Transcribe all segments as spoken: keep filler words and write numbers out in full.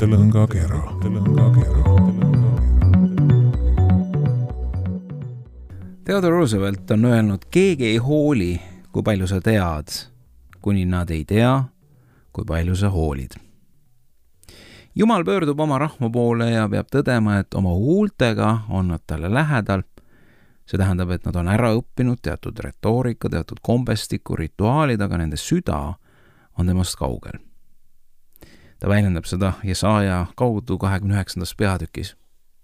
lõngakera, lõngakera. Theodore Roosevelt on öelnud, keegi ei hooli, kui palju sa tead, kuni nad ei tea, kui palju sa hoolid. Jumal pöördub oma rahva poole ja peab tõdema, et oma huultega on nad talle lähedal. See tähendab, et nad on ära õppinud teatud retoorika, teatud kombestiku, rituaalid, aga nende süda on temast kaugel. Ta väljendab seda Jesaja kaudu kahekümne üheksandas peatükis.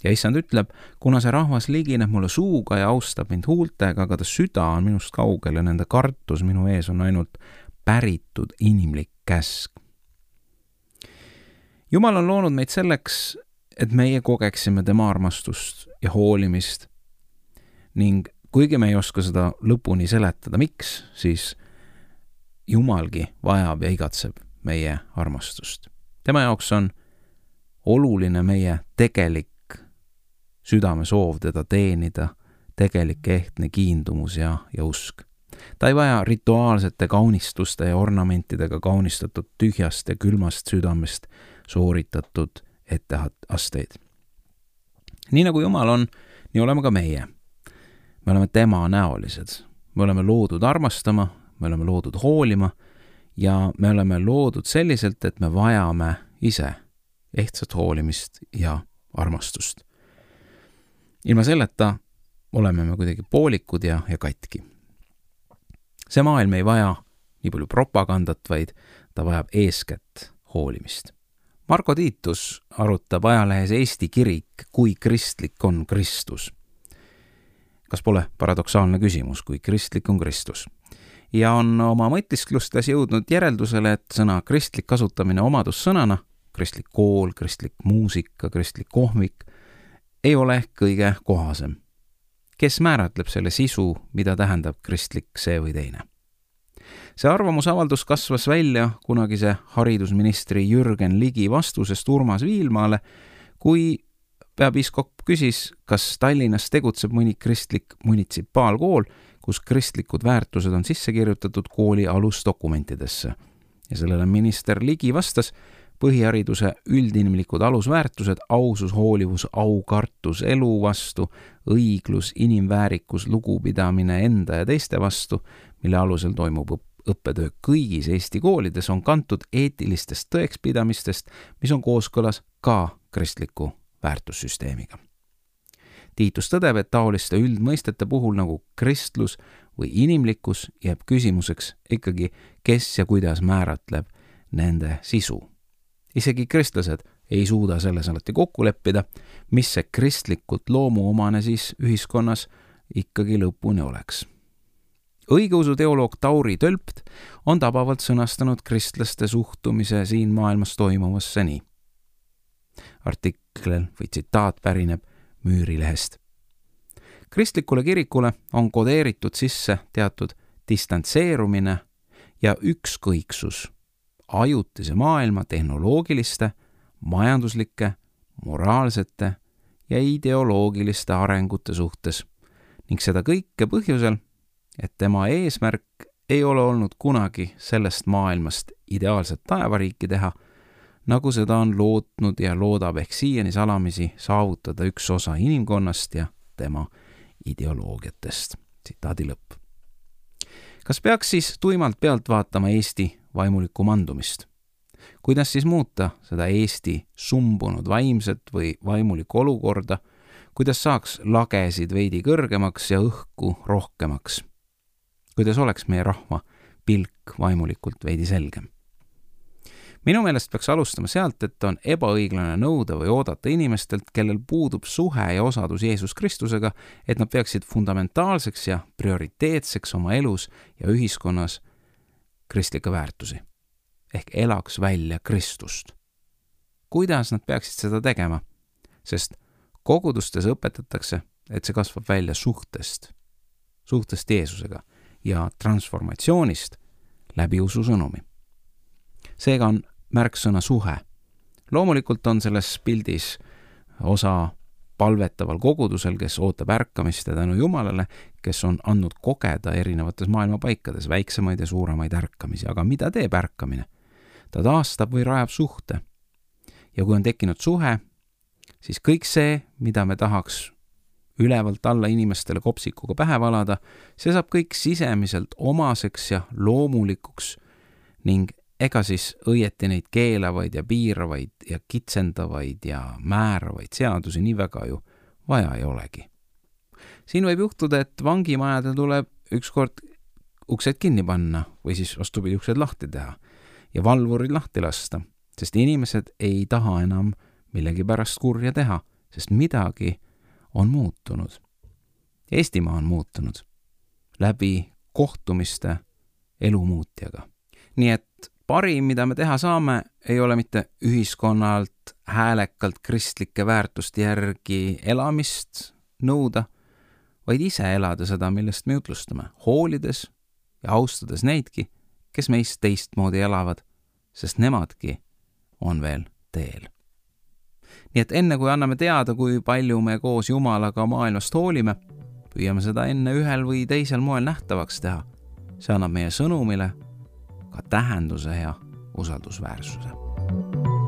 Ja issand ütleb, kuna see rahvas ligineb mulle suuga ja austab mind huultega, aga ta süda on minust kaugel ja nende kartus minu ees on ainult päritud inimlik käsk. Jumal on loonud meid selleks, et meie kogeksime tema armastust ja hoolimist ning kuigi me ei oska seda lõpuni seletada, miks, siis Jumalgi vajab ja igatseb meie armastust. Tema jaoks on oluline meie tegelik südame soov teda teenida, tegelik ehtne kiindumus ja, ja usk. Ta ei vaja rituaalsete kaunistuste ja ornamentidega kaunistatud tühjast ja külmast südamest sooritatud etteasteid. Nii nagu Jumal on, nii oleme ka meie. Me oleme tema näolised. Me oleme loodud armastama, me oleme loodud hoolima ja me oleme loodud selliselt, et me vajame ise ehtsat hoolimist ja armastust. Ilma selleta oleme me kuidagi poolikud ja, ja katki. See maailm ei vaja nii palju propagandat, vaid ta vajab eeskätt hoolimist. Marko Tiitus arutab ajalehes Eesti kirik, kui kristlik on Kristus. Kas pole paradoksaalne küsimus, kui kristlik on Kristus? Ja on oma mõtisklustes jõudnud järeldusele, et sõna kristlik kasutamine omadussõnana, kristlik kool, kristlik muusika, kristlik kohvik, ei ole ehk kõige kohasem. Kes määratleb selle sisu, mida tähendab kristlik see või teine? See arvamusavaldus kasvas välja kunagise haridusministri Jürgen Ligi vastusest Urmas Viilmaale, kui peapiiskop küsis, kas Tallinnas tegutseb mõni kristlik munitsipaalkool, kus kristlikud väärtused on sisse kirjutatud kooli alusdokumentidesse. Ja sellele minister Ligi vastas, põhihariduse üldinimlikud alusväärtused, ausus, hoolivus, aukartus elu vastu, õiglus, inimväärikus, lugupidamine enda ja teiste vastu, mille alusel toimub õppetöö kõigis Eesti koolides, on kantud eetilistest tõekspidamistest, mis on kooskõlas ka kristliku väärtussüsteemiga. Tiitus tõdeb, et taoliste üldmõistete puhul nagu kristlus või inimlikkus jääb küsimuseks ikkagi, kes ja kuidas määratleb nende sisu. Isegi kristlased ei suuda selles alati kokku leppida, mis see kristlikult loomuomane siis ühiskonnas ikkagi lõpuni oleks. Õigeusu teoloog Tauri Tölpt on tabavalt sõnastanud kristlaste suhtumise siin maailmas toimuvasse nii. Artiklel või tsitaat pärineb Müürilehest. Kristlikule kirikule on kodeeritud sisse teatud distantseerumine ja ükskõiksus ajutise maailma tehnoloogiliste, majanduslike, moraalsete ja ideoloogiliste arengute suhtes ning seda kõike põhjusel, et tema eesmärk ei ole olnud kunagi sellest maailmast ideaalset taevariiki teha, nagu seda on lootnud ja loodab ehk siiani salamisi saavutada üks osa inimkonnast ja tema ideoloogiatest. Tsitaadi lõpp. Kas peaks siis tuimalt pealt vaatama Eesti vaimulikku mandumist? Kuidas siis muuta seda Eesti sumbunud vaimset või vaimulikku olukorda? Kuidas saaks lagesid veidi kõrgemaks ja õhku rohkemaks? Kuidas oleks meie rahva pilk vaimulikult veidi selgem? Minu meelest peaks alustama sealt, et on ebaõiglane nõuda või oodata inimestelt, kellel puudub suhe ja osadus Jeesus Kristusega, et nad peaksid fundamentaalseks ja prioriteetseks oma elus ja ühiskonnas kristlikke väärtusi. Ehk elaks välja Kristust. Kuidas nad peaksid seda tegema? Sest kogudustes õpetatakse, et see kasvab välja suhtest, suhtest Jeesusega ja transformatsioonist läbi usu sõnumi. Seega on märksõna suhe. Loomulikult on selles pildis osa palvetaval kogudusel, kes ootab ärkamist ja tänu Jumalale, kes on andnud kogeda erinevates maailma paikades väiksemaid ja suuremaid ärkamisi. Aga mida teeb ärkamine? Ta taastab või rajab suhte. Ja kui on tekkinud suhe, siis kõik see, mida me tahaks ülevalt alla inimestele kopsikuga pähe valada, see saab kõik sisemiselt omaseks ja loomulikuks ning ega siis õieti neid keelavaid ja piiravaid ja kitsendavaid ja määravaid seadusi nii väga ju vaja ei olegi. Siin võib juhtuda, et vangimajadel tuleb ükskord uksed kinni panna või siis vastupidi uksed lahti teha ja valvurid lahti lasta, sest inimesed ei taha enam millegi pärast kurja teha, sest midagi on muutunud. Eestimaa on muutunud läbi kohtumiste elumuutjaga. Nii et parim, mida me teha saame, ei ole mitte ühiskonnalt häälekalt kristlike väärtuste järgi elamist nõuda, vaid ise elada seda, millest me jutlustame, hoolides ja austades neidki, kes meist teistmoodi elavad, sest nemadki on veel teel. Nii et enne kui anname teada, kui palju me koos Jumalaga maailmast hoolime, püüame seda enne ühel või teisel moel nähtavaks teha. See annab meie sõnumile ka tähenduse ja usaldusväärsuse.